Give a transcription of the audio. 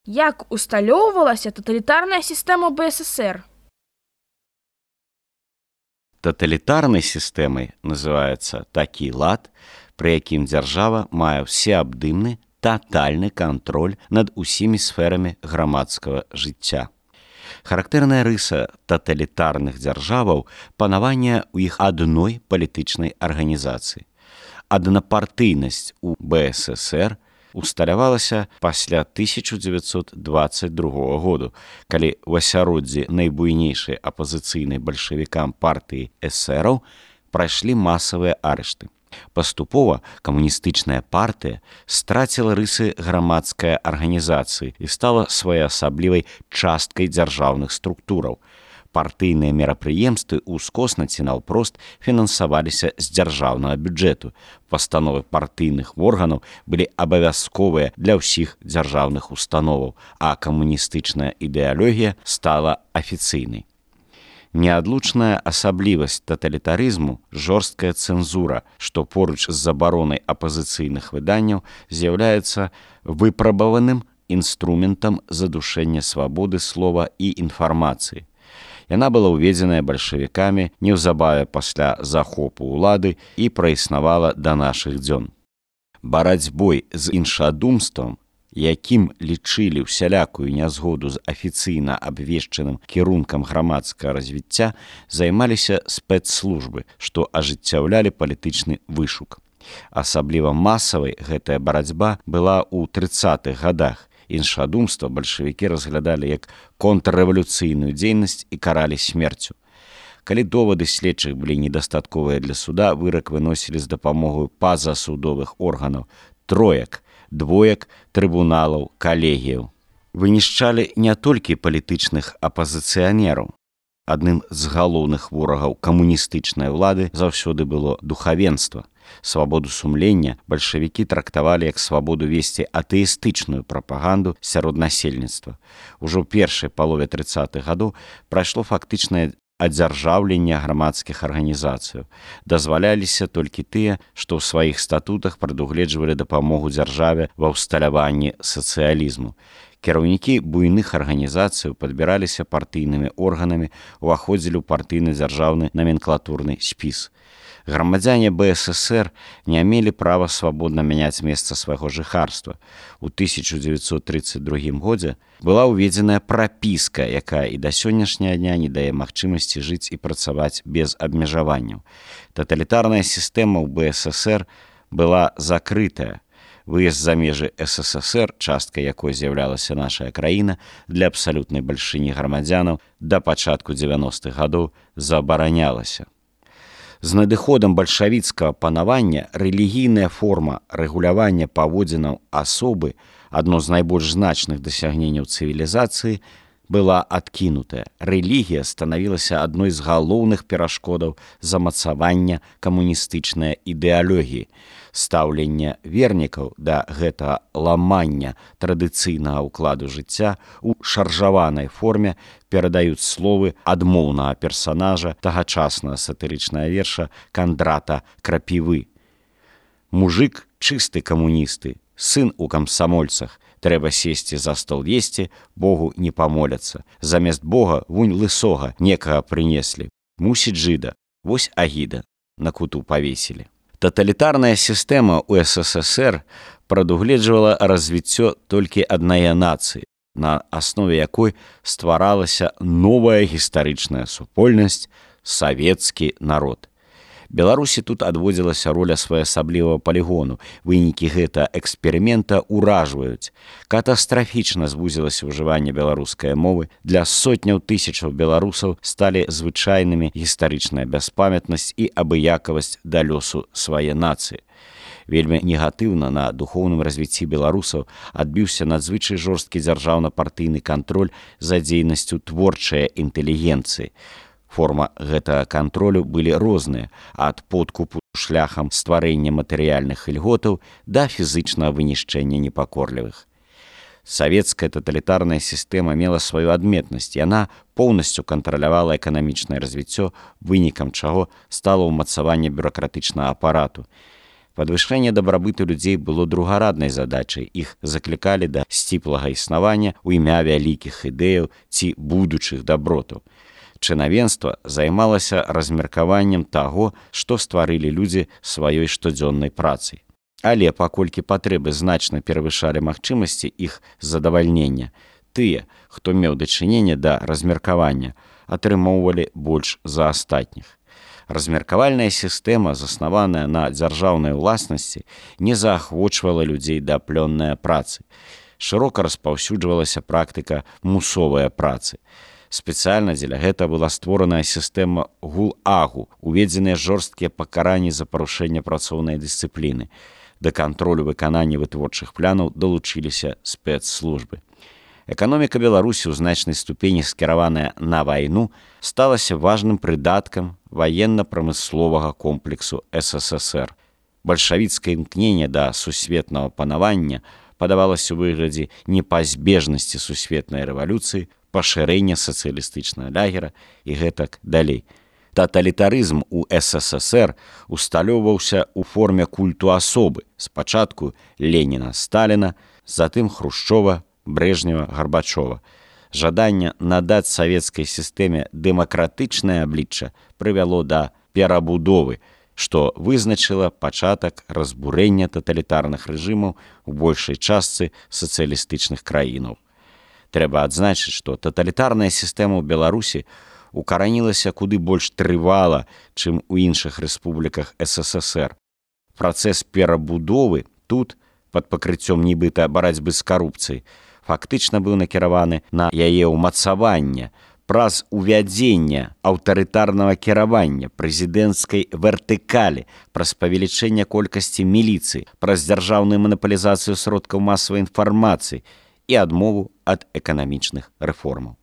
Як усталёўвалася таталітарная сістэма БССР? Таталітарнай сістэмай называецца такі лад, пры якім дзяржава мае всеабдымны, татальны кантроль над усімі сферамі грамадскага жыцця. Характэрная рыса таталітарных дзяржаваў – панаванне ў іх адной палітычнай арганізацыі. Аднапартыйнасць у БССР усталявалася пасля 1922 году, калі ў асяроддзі найбуйнейшай апазіцыйнай бальшавікам партыі эсэраў прайшлі масавыя арышты. Паступова камуністычная партыя страціла рысы грамадскай арганізацыі і стала своеасаблівай часткай дзяржаўных структураў. Партыйныя мерапрыемствы ўскосна ці наўпрост фінансаваліся з дзяржаўнага бюджэту. Пастановы партыйных органаў былі абавязковыя для ўсіх дзяржаўных установаў, а камуністычная ідэалогія стала афіцыйнай. Неадлучная асаблівасць таталітарызму – жорсткая цэнзура, што поруч з забаронай апазіцыйных выданняў з'яўляецца выпрабаваным інструментам задушэння свабоды слова і інфармацыі. Яна была ўведзеная бальшавікамі неўзабаве пасля захопу ўлады і праіснавала да нашых дзён. Барацьбой з іншадумствам, якім лічылі ўсялякую нязгоду з афіцыйна абвешчаным кірункам грамадскага развіцця, займаліся спецслужбы, што ажыццяўлялі палітычны вышук. Асабліва масавай гэтая барацьба была ў 30-х гадах. Іншадумства бальшавікі разглядалі як контррэвалюцыйную дзейнасць і каралі смерцю. Калі довады следчых былі недастатковыя для суда, вырак выносілі з дапамогай пазасудовых органаў, троек, двоек, трыбуналаў, калегіяў. Вынішчалі не толькі палітычных апазіцыянераў. Адным з галоўных ворагаў камуністычнай улады заўсёды было духавенства. Свабоду сумлення бальшавікі трактавалі як свабоду весці атэістычную прапаганду сярод насельніцтва. Ужо ў першай палове 30-х гадоў прайшло фактычнае адзяржаўленне грамадскіх арганізацыяў. Дазваляліся толькі тыя, што ў сваіх статутах прадугледжвалі дапамогу дзяржаве ва ўсталяванні сацыялізму. Кіраўнікі буйных арганізацыяў падбіраліся партыйнымі органамі, уваходзілі ў партыйна-дзяржаўны наменклатурны спіс. Грамадзяне БССР не мелі права свабодна мяняць месца свайго жыхарства. У 1932 годзе была ўведзеная прапіска, якая і да сённяшняга дня не дае магчымасці жыць і працаваць без абмежаванняў. Таталітарная сістэма ў БССР была закрытая. Выезд за межы СССР, часткай якой з'яўлялася наша краіна, для абсалютнай бальшыні грамадзянаў да пачатку 90-х гадоў забаранялася. З надыходам бальшавіцкага панавання рэлігійная форма рэгулявання паводзінаў асобы, адно з найбольш значных дасягненняў цывілізацыі, была адкінутая. Рэлігія станавілася адной з галоўных перашкодаў замацавання камуністычнай ідэалогіі. Стаўленне вернікаў да гэтага ламання традыцыйнага ўкладу жыцця ў шаржаванай форме перадаюць словы адмоўнага персанажа тагачаснага сатырычнага верша Кандрата Крапівы. Мужык чысты камуністы, сын у камсамольцах, трэба сесці за стол есці, Богу не памоляцца. Замест Бога вунь лысога некага прынеслі. Мусіць жыда, вось агіда, на куту павесілі. Таталітарная сістэма ў СССР прадугледжвала развіццё толькі аднае нацыі, на аснове якой стваралася новая гістарычная супольнасць – савецкі народ. Беларусі тут адводзілася роля своеасаблівага палігону. Вынікі гэтага эксперымента ўражваюць. Катастрафічна звузілася ўжыванне беларускай мовы. Для сотняў тысячаў беларусаў сталі звычайнымі гістарычная бяспамятнасць і абыякавасць да лёсу свае нацыі. Вельмі негатыўна на духоўным развіцці беларусаў адбіўся надзвычай жорсткі дзяржаўна-партыйны кантроль за дзейнасцю творчай інтэлігенцыі. Форма гэтага кантролю былі розныя, ад подкупу шляхам стварэння матэрыяльных ільготаў да фізычнага вынішчэння непакорлівых. Савецкая таталітарная сістэма мела сваю адметнасць. Яна поўнасцю кантралявала эканамічнае развіццё, вынікам чаго стала ўмацаванне бюракратычнага апарату. Падвышэнне дабрабыту людзей было другараднай задачай. Іх заклікалі да сціплага існавання ў імя вялікіх ідэяў ці будучых дабротаў. Чынавенства займалася размеркаваннем таго, што стварылі людзі сваёй штодзённай працай. Але паколькі патрэбы значна перавышалі магчымасці іх задавальнення, тыя, хто меў дачыненне да размеркавання, атрымоўвалі больш за астатніх. Размеркавальная сістэма, заснаваная на дзяржаўнай уласнасці, не заахвочвала людзей да плённай працы. Шырока распаўсюджвалася практыка мусовай працы. Спецыяльна дзеля гэта была створаная сістэма ГУЛАГу, уведзеныя жорсткія пакаранні за парушэнне працоўнай дысцыпліны. Да кантролю выканання вытворчых планаў далучыліся спецслужбы. Эканоміка Беларусі ў значнай ступені скіраваная на вайну сталася важным прыдаткам ваенна-прамысловага комплексу СССР. Бальшавіцкае імкненне да сусветнага панавання падавалася ў выглядзе непазбежнасці сусветнай рэвалюцыі, пашырэння сацыялістычнага лагера і гэтак далей. Таталітарызм у СССР усталёўваўся ў форме культу асобы, спачатку Леніна, Сталіна, затым Хрушчова, Брежнева, Гарбачова. Жаданне надаць савецкай сістэме дэмакратычнае аблічча прывяло да перабудовы, што вызначыла пачатак разбурэння таталітарных рэжымаў у большай частцы сацыялістычных краінаў. Трэба адзначыць, што таталітарная сістэма ў Беларусі укаранілася куды больш трывала, чым у іншых рэспубліках СССР. Працэс перабудовы тут, пад пакрыццём нібыта барацьбы з карупцыяй, фактычна быў накіраваны на яе ўмацаванне праз увядзення аўтарытарнага кіравання, прэзідэнцкай вертыкалі, праз павелічэнне колькасці міліцыі, праз дзяржаўную манапалізацыю сродкаў масавай інфармацыі і адмову ад эканамічных рэформаў.